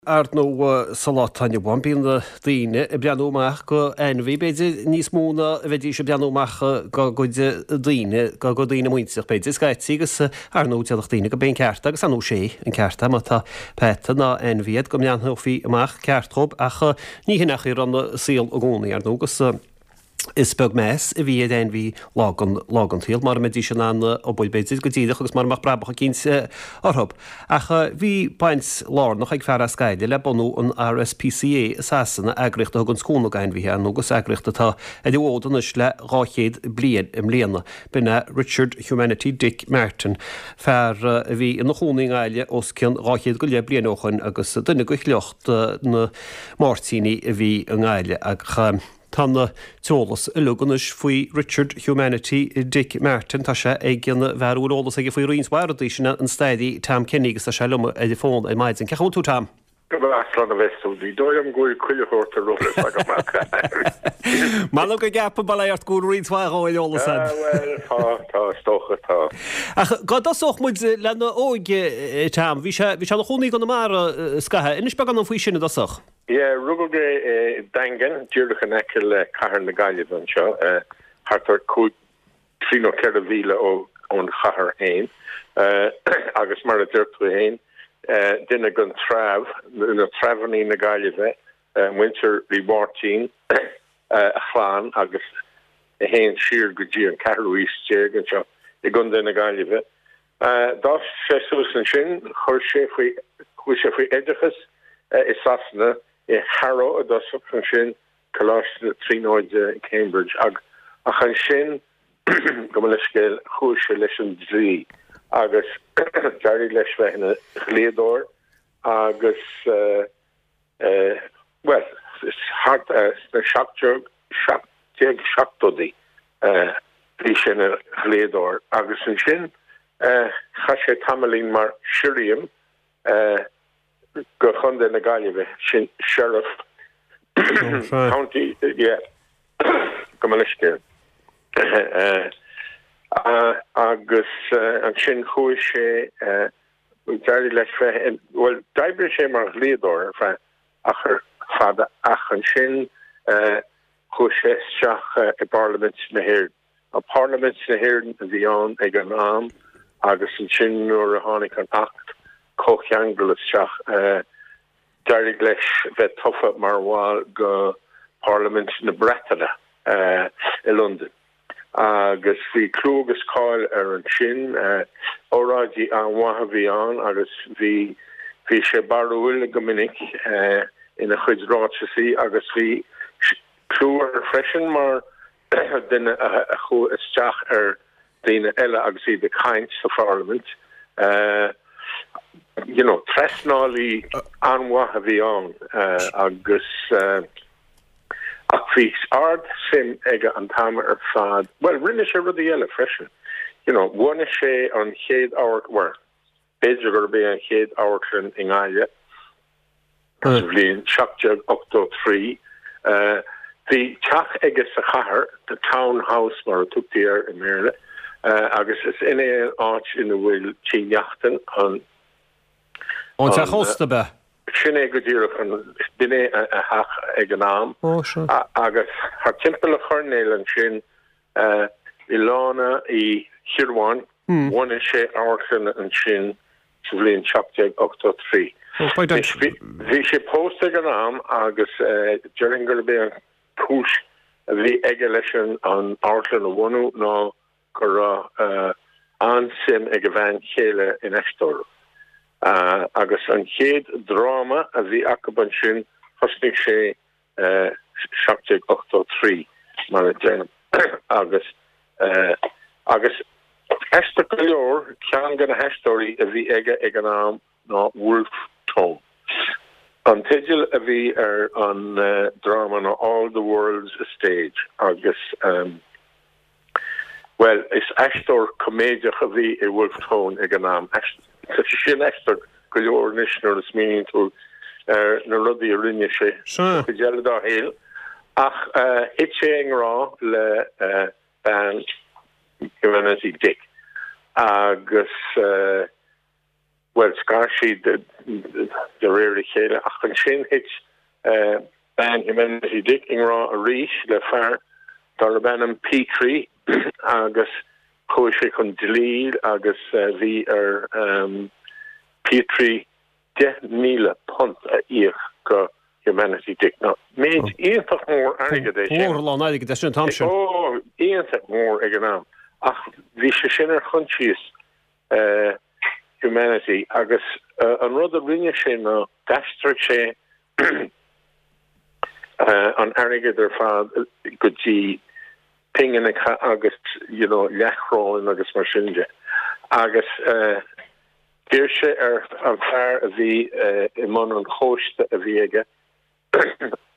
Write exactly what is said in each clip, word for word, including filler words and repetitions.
Ar ndóigh sa lá atá inniu ann bíonn daoine ag breathnú amach go ainmhí, b'fhéidir níos mó ná a bheidís ag breathnú amach go gcuid daoine, go gcuid daoine muinteartha b'fhéidir, scaití agus ar ndóigh déarfadh daoine go b'é an ceart agus ar ndóigh sé an ceart é má tá peata ná ainmhí agat go mbreathnófaí amach ceart dhób ach ní hin é an saol i gcónaí ar ndóigh agus Is beag meas a bhí ar ainmhí lá den lá den tsaol, mara mbeidís in ann obair b'fhéidir go díreach agus mara mbeadh brabach eicínt orthu. Ach bhí baint lárnach ag fear as Gaillimh le bunú an RSPCA i Sasana, eagraíocht a thugann cúnamh d'ainmhithe, ar ndóigh, agus eagraíocht atá ar an bhfód anois le dhá chéad bliain i mbliana. B'in é Richard Humanity Dick Martin, fear a bhí ina chónaí i nGaillimh os cionn dhá chéad go leith bliain ó shoin agus duine de shliocht na Máirtíní a bhí i nGaillimh. Ach. Tá an t-eolas uilig anois faoi Richard Humanity Dick Martin. Tá sé ag an bhfear a bhfuil eolas aige faoi roinnt mhaith rudaí, sin an staraí Tom Kenny agus tá sé liom ar an bhfón ar maidin. Cén chaoi a bhfuil tú, Tom? Go breá, slán a bheas tú. Ní dóigh liom go bhfuil chuile shórt ar eolas agam ach. M'anam go gceapaim, bail ort, go bhfuil roinnt mhaith ar eolas agat. Ah, bhuel, tá, tá, is dócha, tá. Ach go dtosódh muid lena óige, Tom, bhí sé, bhí sé ina chónaí i gConamara scaitheamh. Inis beagán dom faoi sin i dtosach. Yeah, rugadh é i Daingean, díreach in aice le cathair na Gaillimhe anseo, thart ar cúig, trí nó ceithre mhíle ón chathair féin. Agus mar a deir tú féin, duine den treabh, na treabhannaí na Gaillimhe, muintir Uí Mháirtín, a chlann agus a théann siar go dtí an ceathrú haois déag anseo i gContae na Gaillimhe. D'fhás sé suas ansin, chuir sé faoi, chuaigh sé faoi oideachas i Sasana, i Harrow i dtosach, ansin Coláiste na Tríonóide, Cambridge, ach ansin, gabh mo leithscéal, chuaigh sé leis an dlí agus d'éirigh leis bheith ina dhlíodóir agus bhuel, thart sna seacht déag, seacht déag seachtóidí bhí sé ina dhlíodóir agus ansin chaith sé tamaillín mar shirriam go Chontae na Gaillimhe, sin sheriff county, yeah, gabh mo leithscéal. Agus ansin chuaigh sé, d'éirigh leis bheith, bhuel, d'oibrigh sé mar dhlíodóir ar feadh achar fada ach ansin chuaigh sé isteach i bParlaimint na hÉireann. Parlaimint na hÉireann a bhí ann ag an am agus ansin nuair a tháinig an Acht Comhcheangail isteach d'éirigh leis bheith tofa mar bhall go Parlaimint na Breataine i Londain. Agus bhí clú agus cáil air ansin. Óráidí an-mhaith a bhí ann agus bhí bhí sé barrúil go minic ina chuid ráiteasaí agus bhí clú air freisin mar dhuine a chuaigh isteach ar dhaoine eile agus iad ag caint sa pharlaimint. You know, trasnálaí an-mhaith a bhí ann agus. Ach bhí ard-suim aige an t-am ar fad, bhuel, rinne sé rudaí eile freisin, you know, bhunaigh sé an chéad amharc, bhuel, b'fhéidir gurb é an chéad amharclann i nGaillimh sa bhliain seacht déag ochtó trí. Bhí teach aige sa chathair, the Town House mar a tugtaí air i mBéarla, agus is in é an áit ina bhfuil Tigh Neachtain, an. An teach ósta, ab ea? Sin é go díreach an, b'in é a theach ag an am. Ó, sea. Agus thart timpeall an choirnéil ansin i Lána Uí Chiaráin, bhunaigh sé amharclann ansin sa bhliain seacht déag ochtó trí. Bhí sé pósta ag an am agus déarfainn gurb é an chúis a bhí aige leis an amharclann a bhunú ná go raibh an-suim ag a bhean chéile in aisteoireacht. Agus an chéad dráma a bhí acu ansin, thosnaigh sé seacht déag ochtó trí, mar a deirim, agus agus aisteach go leor, ceann de na haisteoirí a bhí aige ag an am ná Wolfe Tone. An teideal a bhí ar an dráma ná All the World's a Stage agus, bhuel, is aisteoir coiméideach a bhí i Wolfe Tone ag an am. Tá sé sin aisteach go leor anois nuair a smaoiníonn tú ar na rudaí a rinne sé sa chuid eile dá shaol. Ach thit sé i ngrá le bean Humanity Dick agus. Bhuel, scar siad de réir a chéile, ach ansin thit bean Humanity Dick i ngrá arís le fear darb ainm Petrie agus chuaigh sé chun dlí agus bhí ar Petrie deich míle punt a íoc go Humanity Dick. Now, méid iontach mór airgid é sin. Mór a lán airgid é sin an t-am sin. Ó, iontach mór ag an am. Ach bhí sé sin ar choinsias Humanity agus an rud a rinne sé ná d'aistrigh sé an airgead ar fad go dtí pingineacha agus you know leathchróin agus mar sin de. Agus d'iarr sé ar an fear a bhí i mbun an chóiste a bhí aige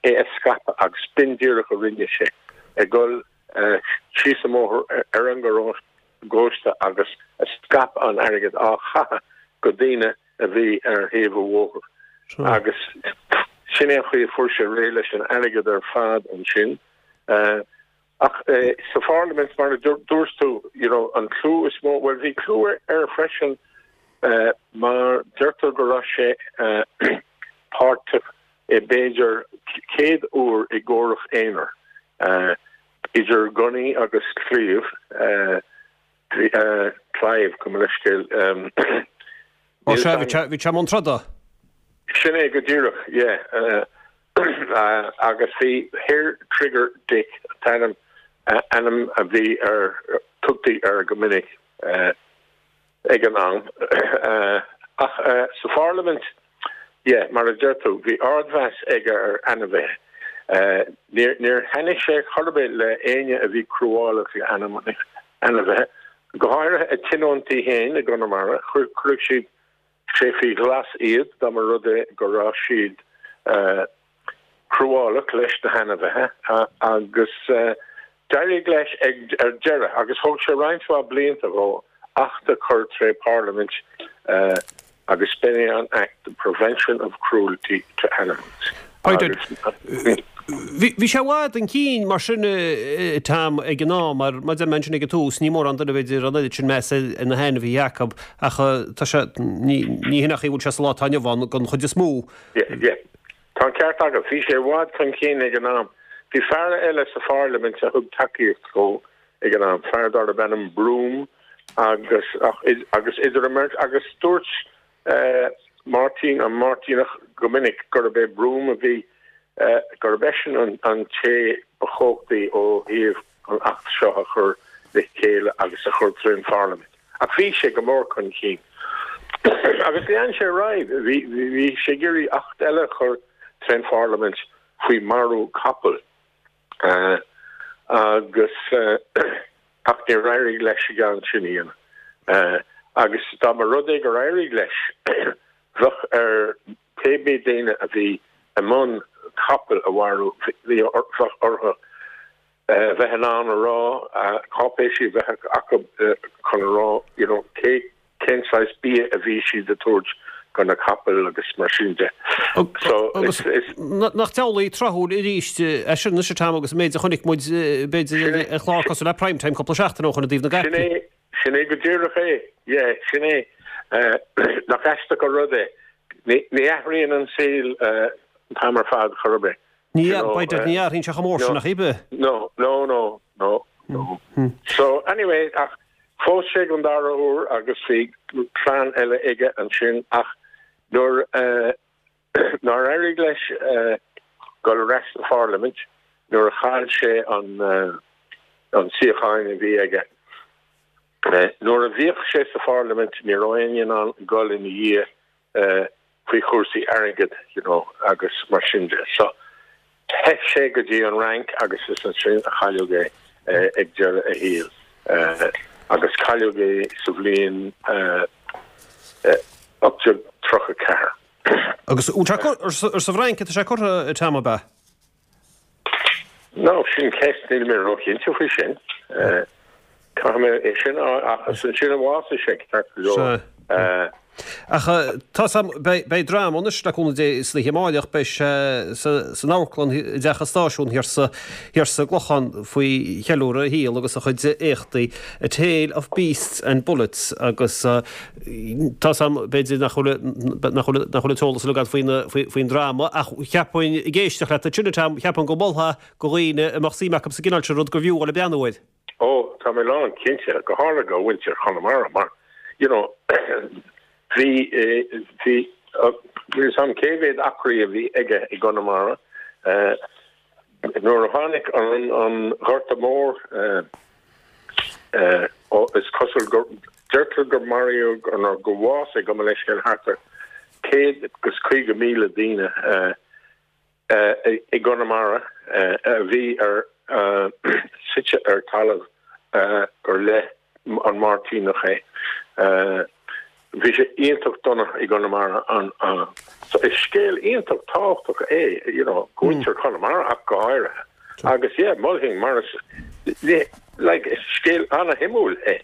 é a scaipeadh agus b'in díreach a rinne sé, ag dul síos an bóthar ar an gcóiste agus ag scaipeadh an airgid á chaitheamh go daoine a bhí ar thaobh an bhóthair. Agus sin é an chaoi a fuair sé réidh leis an airgead ar fad ansin. Ach sa pharlaimint, mar a dúirt tú, you know, an clú is mó, bhuel bhí clú air freisin mar deirtear go raibh sé páirteach i b'fhéidir céad uair i gcomhrac aonair idir gunnaí agus claíomh, claíomh, gabh mo leithscéal. Ó sea, bhí sé i mbun troda. Sin é go díreach, yeah. Agus bhí Hair Trigger Dick an t-ainm ainm a bhí ar tugtaí air go minic ag an am. Ach sa pharlaimint, yeah, mar a deir tú, bhí ardmheas aige ar ainmhithe. Níor níor thaitnigh sé chor ar bith le éinne a bhí cruálach le ainmhithe, go háirithe a tionóntaí féin i gConamara, chuirfeadh siad sé faoi ghlas iad dá mba rud é go raibh siad cruálach leis na hainmhithe agus d'éirigh leis ag ar deireadh agus thóg sé roinnt mhaith blianta dhó acht a chur tré Parlaimint agus b'in é an Act, the Prevention of Cruelty to Animals. Bhí sé i bhfad chun cinn mar sin Tom ag an am mar mar a deir mé ansin ag an tús ní mórán duine b'fhéidir an oiread sin meas ar na hainmhithe acu ach tá sé ní hin an chaoi a bhfuil sé sa lá atá inniu ann don chuid is mó. Yeah, yeah. Tá an ceart agat. Bhí sé i bhfad chun cinn ag an am. Bhí fear eile sa pharlaimint a thug tacaíocht dhó ag an am, fear darb ainm Broome agus ach agus idir an mbeirt agus dúirt Máirtín an Máirtíneach go minic gurb é Broome a bhí gurb eisean an an té ba chumhachtaí ó thaobh an Acht seo a chur le chéile agus a chur trín Pharlaimint. Ach bhí sé go mór chun cinn. Agus lean sé ar aghaidh, bhí bhí sé ag iarraidh Acht eile a chur trín Pharlaimint faoi marú capall. Agus ach níor éirigh leis an gceann sin a dhéanamh. Agus dá mba rud é gur éirigh leis, bheadh ar pé bith daoine a bhí i mbun capall a mharú, bhí orthu bheith in ann a rá, cáipéisí a bheith acu chun a rá you know cé cén saghas bia a bhí siad a tabhairt do na capaill agus mar sin de. So is is Nach diabhlaí tráthúil arís é sin anois Tom agus an méid a chonaic muid b'fhéidir ar chlár cosúil le Prime Time cúpla seachtain ó shin i dtaobh na Sin é sin é go díreach é. Yeah, sin é. Nach aisteach an rud é. Ní athraíonn an saol an t-am ar fad chor ar bith. Ní b'fhéidir ní athraíonn sé chomh mór sin ach oiread. No, no, no, no, no. So anyway, ach phós sé an dara huair agus bhí clann eile aige ansin ach nuair nár éirigh leis dul ar ais sa pharlaimint nuair a chaill sé an an suíochán a bhí aige. Nuair a bhíodh sé sa pharlaimint ní raibh éinne in ann dul ina dhiaidh faoi chúrsaí airgid you know agus mar sin de. So theith sé go dtí an Fhrainc agus is ansin a cailleadh é ag deireadh a shaoil agus cailleadh é sa bhliain ocht déag tríocha ceathair. Agus ar sa bhFrainc atá sé curtha Tom ab ea? No, sin ceist níl mé róchinnte faoi sin. Caithfidh mé é sin ach is ansin a bhásaigh sé ceart go leor. Ach tá beidh dráma anois le cúnamh Dé san oíche amárach, beidh sé san amharclann i dTeach an Stáisiúin thiar sa thiar sa gClochán faoi cheiliúradh a shaol agus a chuid éachtaí, A Tale of Beasts and Bullets agus tá 's a'm b'fhéidir nach bhfuil nach bhfuil nach bhfuil an t-eolas uilig agat faoin faoin dráma ach cheapfainn ag éisteacht leat ansin a Tom, cheapfainn go molfá go dhaoine a mbeadh suim acu sa gcineál sin rud gurbh fhiú dul ag breathnú air. Ó, tá mé lán cinnte, go háirithe do mhuintir Chonamara mar, you know, bhí, bhí, níl 'fhios a'm cé mhéad acraí a bhí aige i gConamara nuair a tháinig an, an Gorta Mór, ó, is cosúil gur, deirtear gur maraíodh nó gur bhásaigh, gabh mo leithscéal, thart ar céad agus caoga míle daoine i gConamara a bhí ar suite ar talamh gur le an Máirtíneach é. Bhí sé iontach dona i gConamara an so is scéal iontach tábhachtach é you know do mhuintir Chonamara ach go háirithe. Agus yeah mholfainn mar is like is scéal ana-shuimiúil é.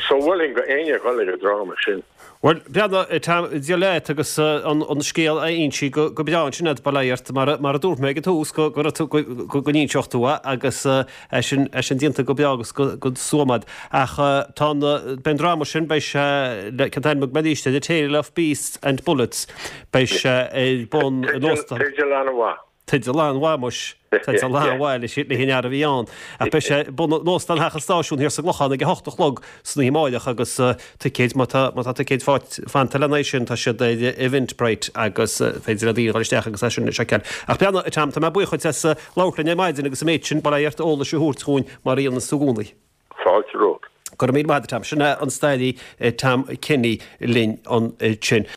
So mholfainn go éinne dhul ag an dráma sin. Bhuel, breathnaigh, Tom, Dia leat agus an scéal a inse go breá ansin agat, bail ó Dhia ort, mar a dúirt mé ag an tús, go raibh tú, go n-inseodh tú é agus é sin, é sin déanta go breá agus go stuama agat. Ach tá an, beidh an dráma sin, beidh sé, le, cén t-ainm a thug mé arís air, The Tale of Beasts and Bullets, beidh sé ar bun in Óstán. Teideal an-mhaith. Teideal an-mhaith muis. Teideal an-mhaith leis le an fhear a bhí ann. Ach beidh sé ar bun in Óstán Theach an Stáisiúin thiar sa gClochán ag a hocht a chlog san oíche amáireach agus ticéid, má tá má tá ticéid fanta lena aghaidh sin, tá siad ar Eventbrite agus féidir le daoine dhul isteach agus é sin a sheiceáil. Ach breathnaigh, a Tom, tá mé buíoch dhuit as labhairt linn ar maidin agus an méid sin, bail ó Dhia ort, eolais a thabhairt chugainn mar a dhéanas tú i gcónaí. Fáilte romhat. Go raibh míle maith agat, a Tom. Sin é an staraí Tom Kenny linn ansin.